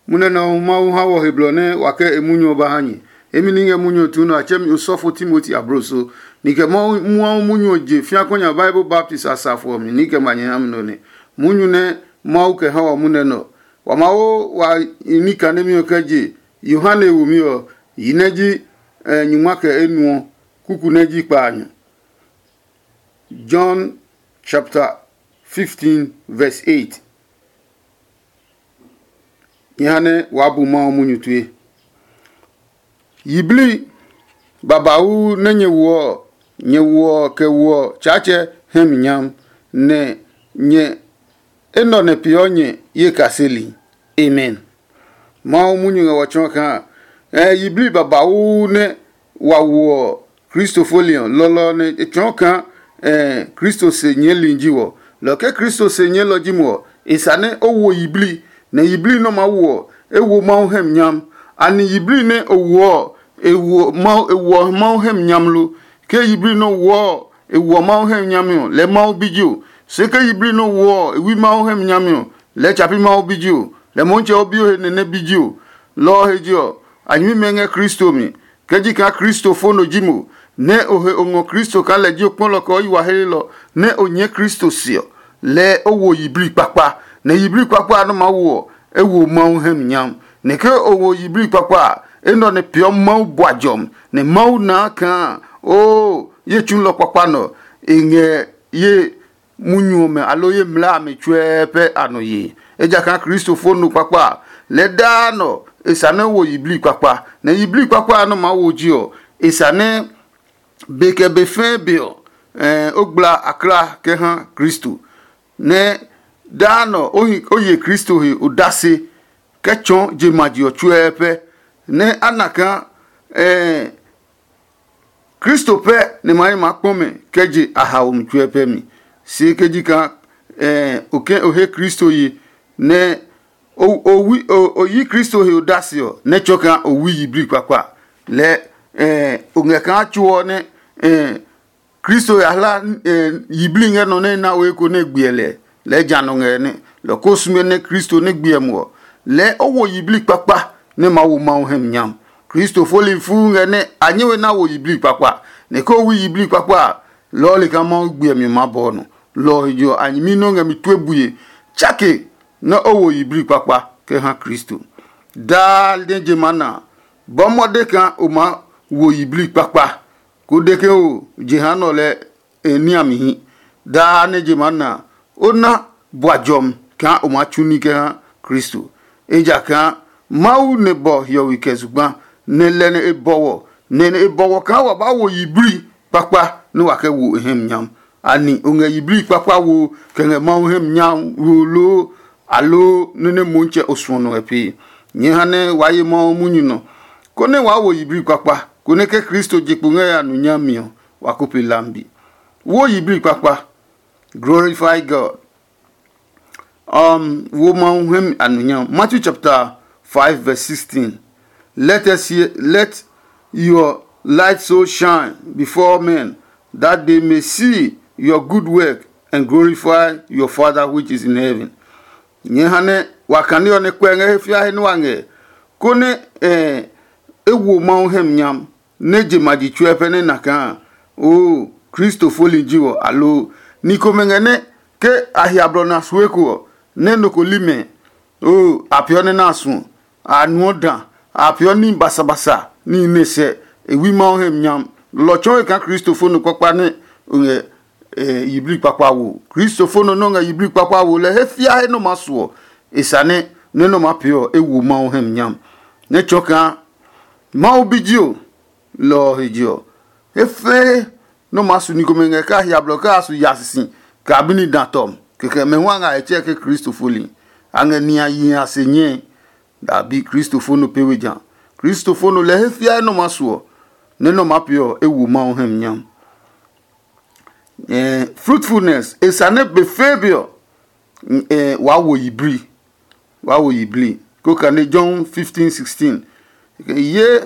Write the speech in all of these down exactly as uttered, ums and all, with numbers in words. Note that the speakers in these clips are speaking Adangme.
Munɛ nɛ ɔ Mawu ha wɔ he blɔ nɛ wa kɛ e munyu ɔ ba ha nyɛ. Emi ni ngɛ munyu ɔ tuu nɛ a tsɛ mi osɔfo Timoti abloso. Ni kɛ Mawu munyu ɔ je fĩa kɔnya Bible baptist asafo ɔ mi ni kɛ ma nyɛ ha mi nɔ nɛ. Munyu nɛ Mawu kɛ ha wɔ munɛ nɛ ɔ, wa ma wo wa ní kanemi ɔ kɛ je Yohane womi ɔ, yi nɛ ji nyungma kɛ enuɔ, kuku nɛ ji kpaanyɔ. John chapter fifteen, verse eight. Nyɛ ha nɛ waa bu Mawu munyu tue. Yiblii babauu nɛ nyɛ woɔ ɔ, nyɛ woɔ ɔ kɛ woɔ ɔ Tsaatsɛ hɛ mi nyam, nɛ nyɛ enɛ ɔ nɛ peeɔ nyɛ ye kaseli. Amen. Mawu munyu ngɛ wɔ tsɔɔ kaa, ɛ yiblii babauu nɛ wa woɔ ɔ, Kristo foli ɔ, lɔlɔ ɔ nɛ e tsɔɔ kaa ɛ Kristo se nyɛɛli ji wɔ. Lɔ ke Kristo se nyɛɛlɔ ji mo ɔ, e sa nɛ o wo yiblii, nɛ yiblii nɛ o maa wo ɔ, e wo Mawu hɛ mi nyam. Anɛ yiblii nɛ o woɔ ɔ, e woɔ Mawu hɛ mi nyam lo? Ke yiblii nɛ o woɔ ɔ, e woɔ Mawu hɛ mi nyami ɔ, lɛɛ Mawu bi ji o. Se ke yiblii nɛ o woɔ ɔ, e wi Mawu hɛ mi nyami ɔ, lɛɛ tsa pi Mawu bi ji o, lɛ Motsɛ o bi o he nɛ nɛ bi ji o. Lɔ ɔ he je ɔ, a nyɛmimɛ ngɛ Kristo mi. Ke ji kaa Kristo fo nɔ ji mo, nɛ o he o ngɔ Kristo kaa lɛ ji o kpɔlɔ kɛ o yi wa helelɔ, nɛ o nyɛɛ Kristo se ɔ, lɛɛ o wo yiblii kpakpa, nɛ yiblii kpakpa a nɛ o maa wo ɔ, e wo Mawu hɛ mi nyam. Nɛ ke o wo yiblii kpakpa a, enɛ ɔ nɛ peeɔ Mawu bua jɔmi, nɛ Mawu naa kaa oo ye tsulɔ kpakpa nɛ ɔ, e ngɛ ye munyu ɔmɛ aloo ye mlaa amɛ tsuɛɛ pɛ a nɔ yee. Ejakaa Kristo fo nɔ kpakpa a, lɛɛ daa nɔ e sa nɛ wo yiblii kpakpa, nɛ yiblii kpakpa a nɔ maa wo ji ɔ, e sa nɛ be kɛ be fɛɛ be ɔ, o gbla akla kɛ ha Kristo, nɛ daa nɔ o ye Kristo he odase kɛ tsɔɔ je ma je ɔ tsuɛɛ pɛ, nɛ a na kaa Kristo pɛ nɛ ma hi ma kpɔ mɛ kɛ je a haomi tsuɛ pɛ mi. Se ke ji kaa o ke o he Kristo ye, nɛ o yi Kristo he odase ɔ, nɛ tsɔ kaa o wui yiblii kpakpa, lɛɛ o ngɛ kaa tso ɔ nɛ Kristo ya hla yiblii ngɛ nɔ nɛ na we ko nɛ gbiɛ lɛ. Lɛɛ ja nɔ ngɛ nɛ lɔ ko sume nɛ Kristo nɛ gbiɛ muɔ, lɛɛ o wo yiblii kpakpa nɛ ma wo Mawu hɛ mi nyam. Kristo foli fuu ngɛ nɛ a nyɛ we na wo yiblii kpakpa, nɛ ke o wi yiblii kpakpa a, lɔɔli kaa Mawu gbiɛ mi ma bɔɔ nɔ. Lɔ ɔ he je ɔ, a nyɛmi nɔ́ ngɛ mi tue bue tsake nɛ o wo yiblii kpakpa kɛ ha Kristo. Daa nɛ je maa na a, bɔ mɔde kaa o maa wo yiblii kpakpa, ko de ke o jehanɛ ɔ lɛ e niamihi. Daa nɛ je maa na a, o na bua jɔmi kaa o maa tsu ní kɛ ha Kristo. Ejakaa Mawu nɛ bɔ hiɔwe kɛ zugba, nɛ lɛ nɛ e bɔwɔ, nɛ e bɔwɔ kaa wa ba wo yiblii kpakpa nɛ wa kɛ wo e hɛ mi nyam. Ani o ngɛ yiblii kpakpa wo kɛ ngɛ Mawu hɛ mi nyam wo loo, aloo nɛ nɛ Motsɛ o suɔ nɔ ngɛ pee? Nyɛɛ ha nɛ waa ye Mawu munyu nɔ, konɛ waa wo yiblii kpakpa, konɛ ke Kristo je kpo ngɛ ya nu nyami ɔ, wa ko pe lambi. Wo yiblii kpakpa. Glorify God. Um, wo Mawu hɛ mi anunyam. Matthew chapter five, verse sixteen. Let us hear, let your light so shine before men that they may see your good work and glorify your Father which is in heaven. Nyɛ ha nɛ wa kane ɔ nɛ kpɛ ngɛ he fia he nɛ wa ngɛ, konɛ eh, e wo Mawu hɛ mi nyam. Nɛ je ma ji tsuɛ pɛ nɛ na kaa oo Kristo foli ji wɔ, aloo ni komɛ ngɛ nɛ ke a hia blɔ na sue ko ɔ, nɛ nɔ ko li mɛ oo a peeɔ nɛ na suɔ, a nuɔ da, a peeɔ ní basabasa ní nɛ sɛ e wi Mawu hɛ nyam. Lɔ tsɔɔe kaa Kristo fo nɔ kpakpa nɛ o ngɛ yiblii kpakpa wo. Kristo fo nɔ nɛ o ngɛ yiblii kpakpa wo lɛ he fia he nɔ ma suɔ e sane nɛ nɔ ma pee ɔ e wo Mawu hɛ nyam. Nɛ tsɔ kaa Mawu bi ji o, lɔ ɔ he je ɔ, he fɛɛ nɔ maa su ni komɛ ngɛ kɛ a hia blɔ kɛ a su ya sisi kɛ a bi ni da tɔmi. Kɛkɛ mɛ hu a ngɛ a he tsɛɛ ke Kristo foli. A ngɛ nihi a yihi a se nyɛe. Dabi, Kristo fo nɔ pee we ja. Kristo fo nɔ lɛ he fiae nɔ maa su ɔ, nɛ nɔ maa pee ɔ, e wo Mawu hɛ mi nyam. Fruitfulness e sa nɛ be fɛɛ be ɔ, waa wo yiblii. Waa wo yiblii. Ko kane John fifteen sixteen. Ye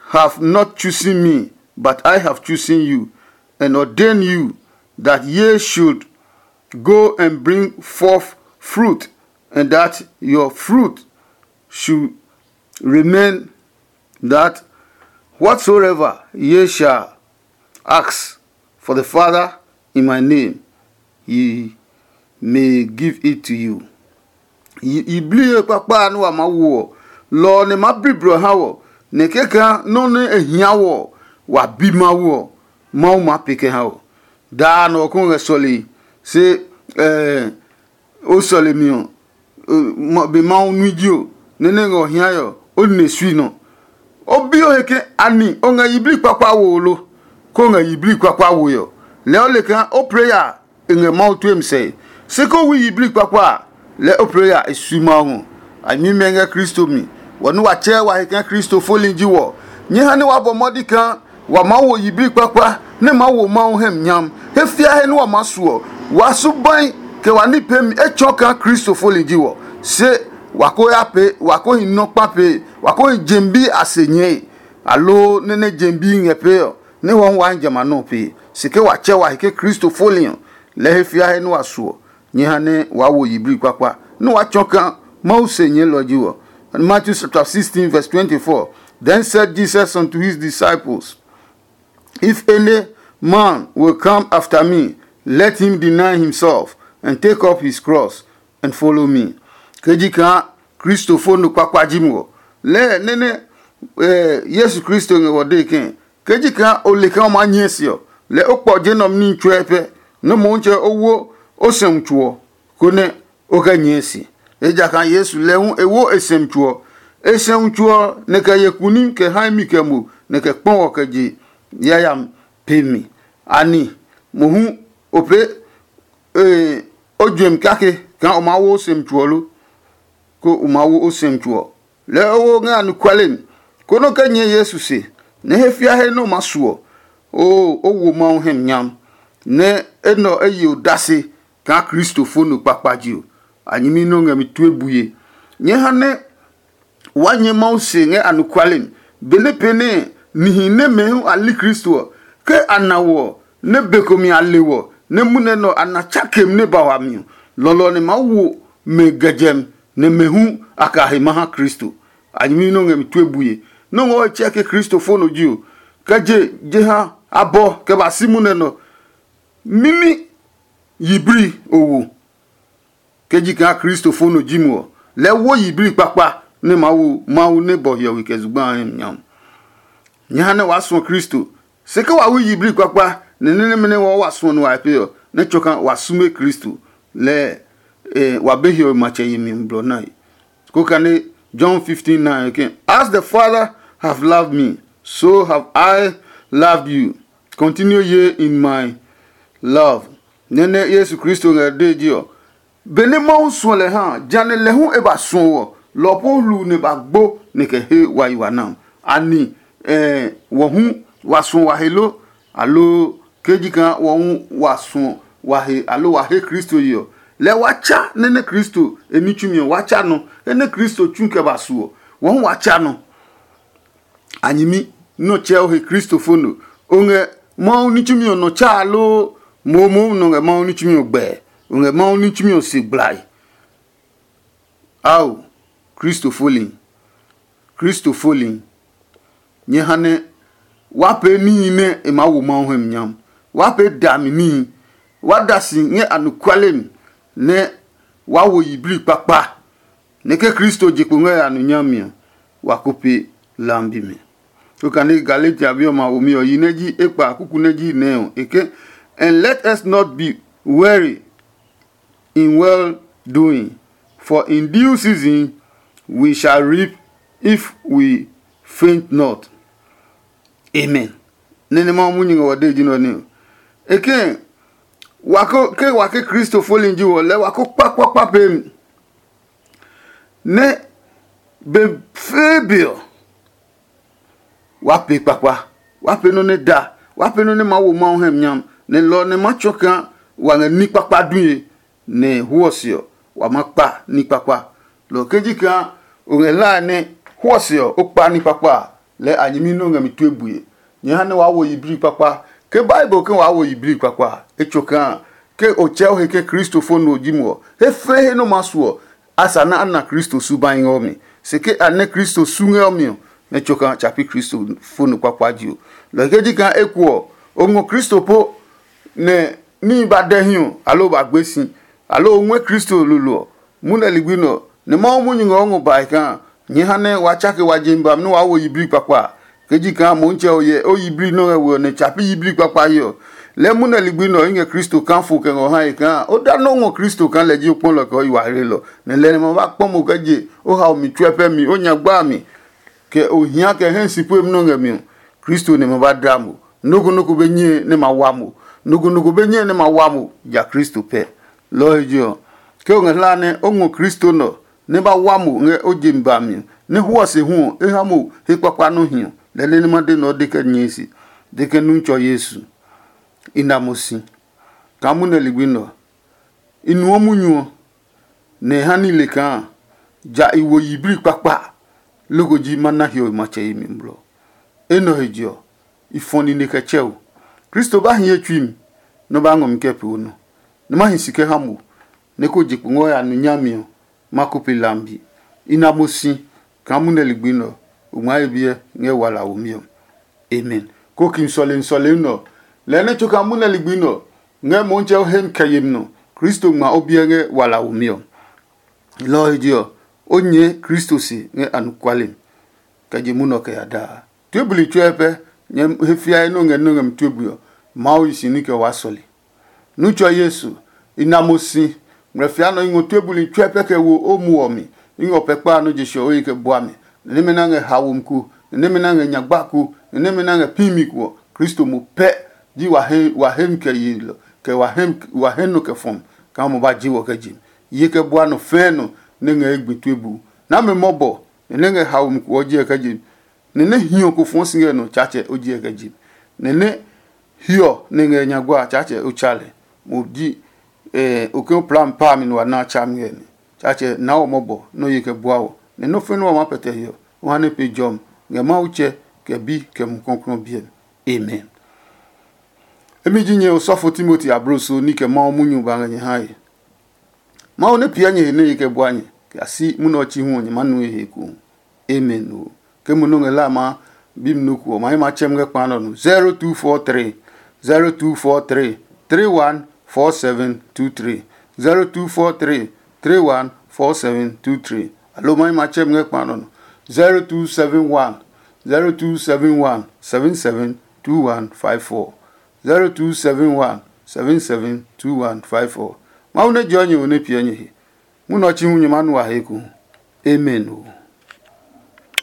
have not chosen me, but I have chosen you and ordained you that ye should go and bring forth fruit, and that your fruit should remain, that whatsoever ye shall ask for the Father in my name, he may give it to you. Yiblii kpakpa a nɛ wa maa wo ɔ, lɔ ɔ nɛ maa bliblɔ ha wɔ, nɛ kɛkaa nɔ́ nɛ e hia wɔ ɔ, wa bi Mawu ɔ, Mawu maa pee kɛ ha wɔ. Daa nɔ ɔ kó ngɛ sɔlee, se o sɔlemi ɔ, be Mawu nui ji o, nɛ nɛ ngɛ ɔ hiae ɔ, o nine sui nɔ. O bi o he ke ani o ngɛ yiblii kpakpa wo lo, kó ngɛ yiblii kpakpa woe ɔ, lɛɛ o le kaa o plɛ ya e ngɛ Mawu tue mi sɛe. Se ko wi yiblii kpakpa a, lɛɛ o plɛ ya e sui Mawu ngɔ. A nyɛmimɛ ngɛ Kristo mi, wɔ nɛ wa tsɛɛ wa he kaa Kristo foli ji wɔ. Nyɛ ha nɛ wa bɔ mɔdi kaa wa maa wo yiblii kpakpa nɛ maa wo Mawu hɛ mi nyam. He fiahe nɛ wa maa su ɔ, wa subai kɛ wa ní peemi etsɔ kaa Kristo foli ji wɔ. Se wa ko ya pee, wa ko hi nɔ kpa pee, wa ko hi jemi bi a se nyɛe, aloo nɛ nɛ jemi bi ngɛ pee ɔ, nɛ hɔ hu wa hi jamɛ a nɔ́ ɔ pee. Se ke wa tsɛ wa he ke Kristo foli ɔ, lɛɛ he fiahe nɛ wa su ɔ, nyɛ ha nɛ waa wo yiblii kpakpa nɛ waa tsɔ kaa Mawu se nyɛɛlɔ ji wɔ. Matthew chapter sixteen, verse twenty-four. Then said Jesus unto his disciples, "If any man will come after me, let him deny himself and take up his cross and follow me." Ke ji kaa Kristofo no kpakpa ji mo ɔ, lɛɛ nɛ nɛ Yesu Kristo ngɛ wɔ dee ke, ke ji kaa o le kaa o maa nyɛɛ se ɔ, lɛ o kpɔ je nɛ ɔ ní tsuɛ pɛ, nɛ Motsɛ o wo o sɛumi tso ɔ, konɛ o kɛ nyɛɛ se. Ejakaa Yesu lɛ hu e wo e sɛumi tso ɔ. E sɛumi tso ɔ, nɛ kɛ ye kuni kɛ hae mi kɛ mo, nɛ kɛ kpɔ ɔ kɛ je yayami pe mi. Ani mohu o pee o juɛmi kake kaa o maa wo o sɛumi tso ɔ lo? Ko o maa wo o sɛumi tso ɔ, lɛɛ o wo ngɛ anɔkuale mi, konɛ o kɛ nyɛɛ Yesu se, nɛ he fiahe nɛ o maa su ɔ, oo, o wo Mawu hɛ mi nyam, nɛ enɛ ɔ e ye odase kaa Kristo fo no kpakpa je ɔ. A nyɛmi nɛ o ngɛ mi tue bue. Nyɛɛ ha nɛ waa nyɛ Mawu se ngɛ anɔkuale mi, benɛ pee nɛ nihi nɛmɛ hu a li Kristo ɔ, ke a na wɔ ɔ, nɛ be ko mi a le wɔ, nɛ munɛ nɛ ɔ a na tsakem nɛ ba wami ɔ, lɔlɔ ɔ nɛ maa wo mɛ gɛ jɛmi, nɛ mɛ hu a kɛ a he ma ha Kristo. A nyɛmi nɛ o ngɛ mi tue bue. Nɔ́ ngɔ ɔ tsɛ ke Kristo fo nɔ ji ɔ, kɛ je jeha abɔ kɛ ba si munɛ nɛ ɔ, mimi yiblii o wo. Ke ji kaa Kristo fo nɔ ji mo ɔ, lɛɛ wo yiblii kpakpa nɛ maa wo Mawu nɛ bɔ hiɔwe kɛ zugba a hɛ mi nya. Nyɛ ha nɛ waa suɔ Kristo. Se ke wa wi yiblii kpakpa nɛ nɛ nɛmɛ nɛ wɔɔ wa suɔ nɛ wa he pee ɔ, nɛ tsɔ kaa wa sume Kristo, lɛɛ wa be hiɔwe matsɛ yemi blɔ nae. Ko kane John fifteen nine ke, "As the Father have loved me, so have I loved you. Continue ye in my love." Nɛ nɛ Yesu Kristo ngɛ dee ji ɔ, benɛ Mawu suɔ lɛ ha a, ja nɛ lɛ hu e ba suɔ wɔ, lɔ ɔ po hluu nɛ ba gbo nɛ kɛ he wa yi wa nam. Ani wɔ hu wa suɔ wa he lo? Aloo ke ji kaa wɔ hu wa suɔ wa he aloo wa he Kristo ye ɔ, lɛɛ wa tsa nɛ nɛ Kristo e ní tsumi ɔ wa tsa nɔ. He nɛ Kristo tsu kɛ ba su ɔ, wɔ hu wa tsa nɔ. A nyɛmi nɛ o tsɛ o he Kristo fo no. O ngɛ Mawu ní tsumi ɔ nɔ tsaa loo? Momomo nɔ ngɛ Mawu ní tsumi ɔ gbɛe. O ngɛ Mawu ní tsumi ɔ se gblai. Ao, Kristo foli, Kristo foli, nyɛ ha nɛ wa pee níhi nɛ e maa wo Mawu hɛ mi nyam. Wa pee dami níhi. Wa da si ngɛ anɔkuale mi, nɛ wa wo yiblii kpakpa, nɛ ke Kristo je kpo ngɛ a nɔ nyami ɔ, wa ko pe lambi mi. Okane Galatia bi ɔmɛ a womi ɔ, yi nɛ ji ekpa kuku nɛ ji nɛ ɔ, e ke, "And let us not be weary in well doing, for in due season we shall reap if we faint not." Amen. Nene ma mu nyinga wa de ji nɔ ne. Eke wa ko ke wa ke Kristo folin ji wɔ lɛ wa ko kpa kpa kpa pe mi. Ne be fee be ɔ, wa pe kpakpa, wa pe nɔ ne da, wa pe nɔ ne ma wo Mawu hɛ nyam, ne lɔ ne ma tsɔ kaa wa ngɛ ni kpakpa due. Nɛ huɔ se ɔ, wa ma kpa ní kpakpa. Lɔ ke ji kaa o ngɛ hlae nɛ huɔ se ɔ, o kpa ní kpakpa a, lɛɛ a nyɛmi nɛ o ngɛ mi tue bue. Nyɛ ha nɛ waa wo yiblii kpakpa. Ke Bible ke waa wo yiblii kpakpa a, e tso kaa ke o tsɛ o he ke Kristo fo no ji mo ɔ, he fɛɛ he nɛ o ma su ɔ, a sa nɛ a na Kristo subahi ngɛ o mi. se ke a nɛ Kristo su ngɛ ɔ mi ɔ, nɛ tso kaa tsa pi Kristo fo nɔ kpakpa je ɔ. Lɔ ke ji kaa eko ɔ, o ngɔ Kristo po nɛ níhi ba dɛ hi ɔ, aloo ba gbe si, aloo o ngɔɛ Kristo lolo ɔ, munɛ ligbi nɛ ɔ, nɛ Mawu munyu ngɛ o ngɔ bae kaa nyɛɛ ha nɛ wa tsake wa je mi ba nɛ waa wo yiblii kpakpa a. Ke ji kaa Motsɛ ɔ hyɛ o yiblii nɔ́ ngɛ we ɔ nɛ tsa pi yiblii kpakpa he ɔ, lɛɛ munɛ ligbi nɛ ɔ i ngɛ Kristo kaa fo kɛ ngɔ hae kaa o da nɔ́ ngɔ Kristo kaa lɛ ji o kpɔlɔ kɛ o yi wa hlelɔ, nɛ lɛ nɛ ma ba kpɔ mo kɛ je o hao mi tsuɛ pɛ mi o nya gba a mi, kɛ o hia kɛ hɛ si pue nɔ́ ngɛ mi ɔ, Kristo nɛ ma ba dla mo. Nɔ́ ko nɔ́ ko be nyɛe nɛ ma wa mo. Nɔ́ ko nɔ́ ko be nyɛe nɛ ma wa mo ja Kristo pɛ. Lɔ ɔ he je ɔ, ke o ngɛ hlaa nɛ o ngɔ Kristo nɛ ɔ, nɛ ba wa mo ngɛ o je mi ba mi ɔ, nɛ hwɔ se hu ɔ, e ha mo he kpakpa nɔ́ hi ɔ, lɛ nɛ ma de nɛ o de kɛ nyɛe se, de ke nu tsɔ Yesu. I na mo si kaa munɛ ligbi nɛ ɔ, i nuɔ munyu ɔ, nɛ e ha ní le kaa ja i wo yiblii kpakpa, loko ji ma na hiɔwe matsɛ yemi blɔ. Enɛ ɔ he je ɔ, i fɔ nine kɛ tsɛ o. Kristo ba hi ye tsui mi, nɛ o ba ngɔ mi kɛ pee o nɔ, nɛ ma hi si kɛ ha mo, nɛ ko je kpo ngɔ ya nu nyami ɔ, ma ko pe lambi. I na mo si kaa munɛ ligbi nɛ ɔ, o ngmaa ye biɛ ngɛ wala womi ɔ. Amen. Ko ki sɔlemi sɔlemi nɛ ɔ, lɛɛ nɛ tso kaa munɛ ligbi nɛ ɔ, ngɛ Motsɛ o hemi kɛ yemi nɔ, Kristo ngma o biɛ ngɛ wala womi ɔ. Lɔ ɔ he je ɔ, o nyɛɛ Kristo se ngɛ anɔkuale mi, kɛ je munɔ kɛ ya daa. Tue buli tsuɛ pɛ, nyɛ he fiae nɛ o ngɛ nɔ́ ngɛ mi tue bui ɔ, Mawu yi si ní kɛ waa sɔle. Nutsɔ Yesu, i na mo si, ngmlɛ fia nɔ i ngɔ tue buli tsuɛ pɛ kɛ wo o muɔ mi. I ngɔ pɛ kpa nɔ́ je sɔ o yi kɛ bua mi. Nɛ nɛmɛ na ngɛ haomi ko, nɛ nɛmɛ na ngɛ nyagba ko, nɛ nɛmɛ na ngɛ pimi ko ɔ, Kristo mo pɛ ji wa he wa hemi kɛ ye lɔ, kɛ wa hemi wa he nɔ kɛ fɔmi, kaa mo ba ji wɔ kɛ je mi. Ye kɛ bua nɔ fɛɛ nɔ nɛ ngɛ ye gbi tue bu. Na me mɔbɔ, nɛ nɛ ngɛ haomi ko ɔ jiɛ kɛ je mi. Nɛ nɛ hiɔ ko fɔɔ si ngɛ nɔ Tsaatsɛ o jiɛ kɛ je mi. Nɛ nɛ hiɔ nɛ ngɛ nyagba a Tsaatsɛ o tsa lɛ. Mo ji eh, o ke o pla mi pa mi nɛ wa na a tsa mi ngɛ nɛ. Tsaatsɛ na wɔ mɔbɔ nɛ o ye kɛ bua wɔ, nɛ nɔ́ fɛnɛ ɔ maa pɛtɛ hiɔ, o ha nɛ pe jɔmi ngɛ Mawu tsɛ, kɛ bi, kɛ Mumi Klɔuklɔu biɛ mi. Amen. Emi ji nyɛ osɔfo Timoti abloso ní kɛ Mawu munyu ba ngɛ nyɛ hae. Mawu nɛ piɛ nyɛ he nɛ e kɛ bua nyɛ kɛ ya si munɛ ɔ chi hu ɔ, nyɛ maa nu he ekohu. Amen o. Ke mo nɔ́ ngɛ la ma bi mi nɔ ko ɔ, ma yi ma tsɛm ngɛ kpa nɔ nu. Zero two four three, zero two four three, three one four seven two three. Zero two four three, three one four seven two three. Alo ma yi ma tsɛm ngɛ kpa nɔ nu. Zero two seven one, zero two seven one, seven seven two one five four. Zero two seven one, seven seven two one five four. Mawu nɛ jɔ nyɛ wo nɛ piɛ nyɛ he. Munɔ ɔ chi hu nyɛ ma nu a he ku. Amen o.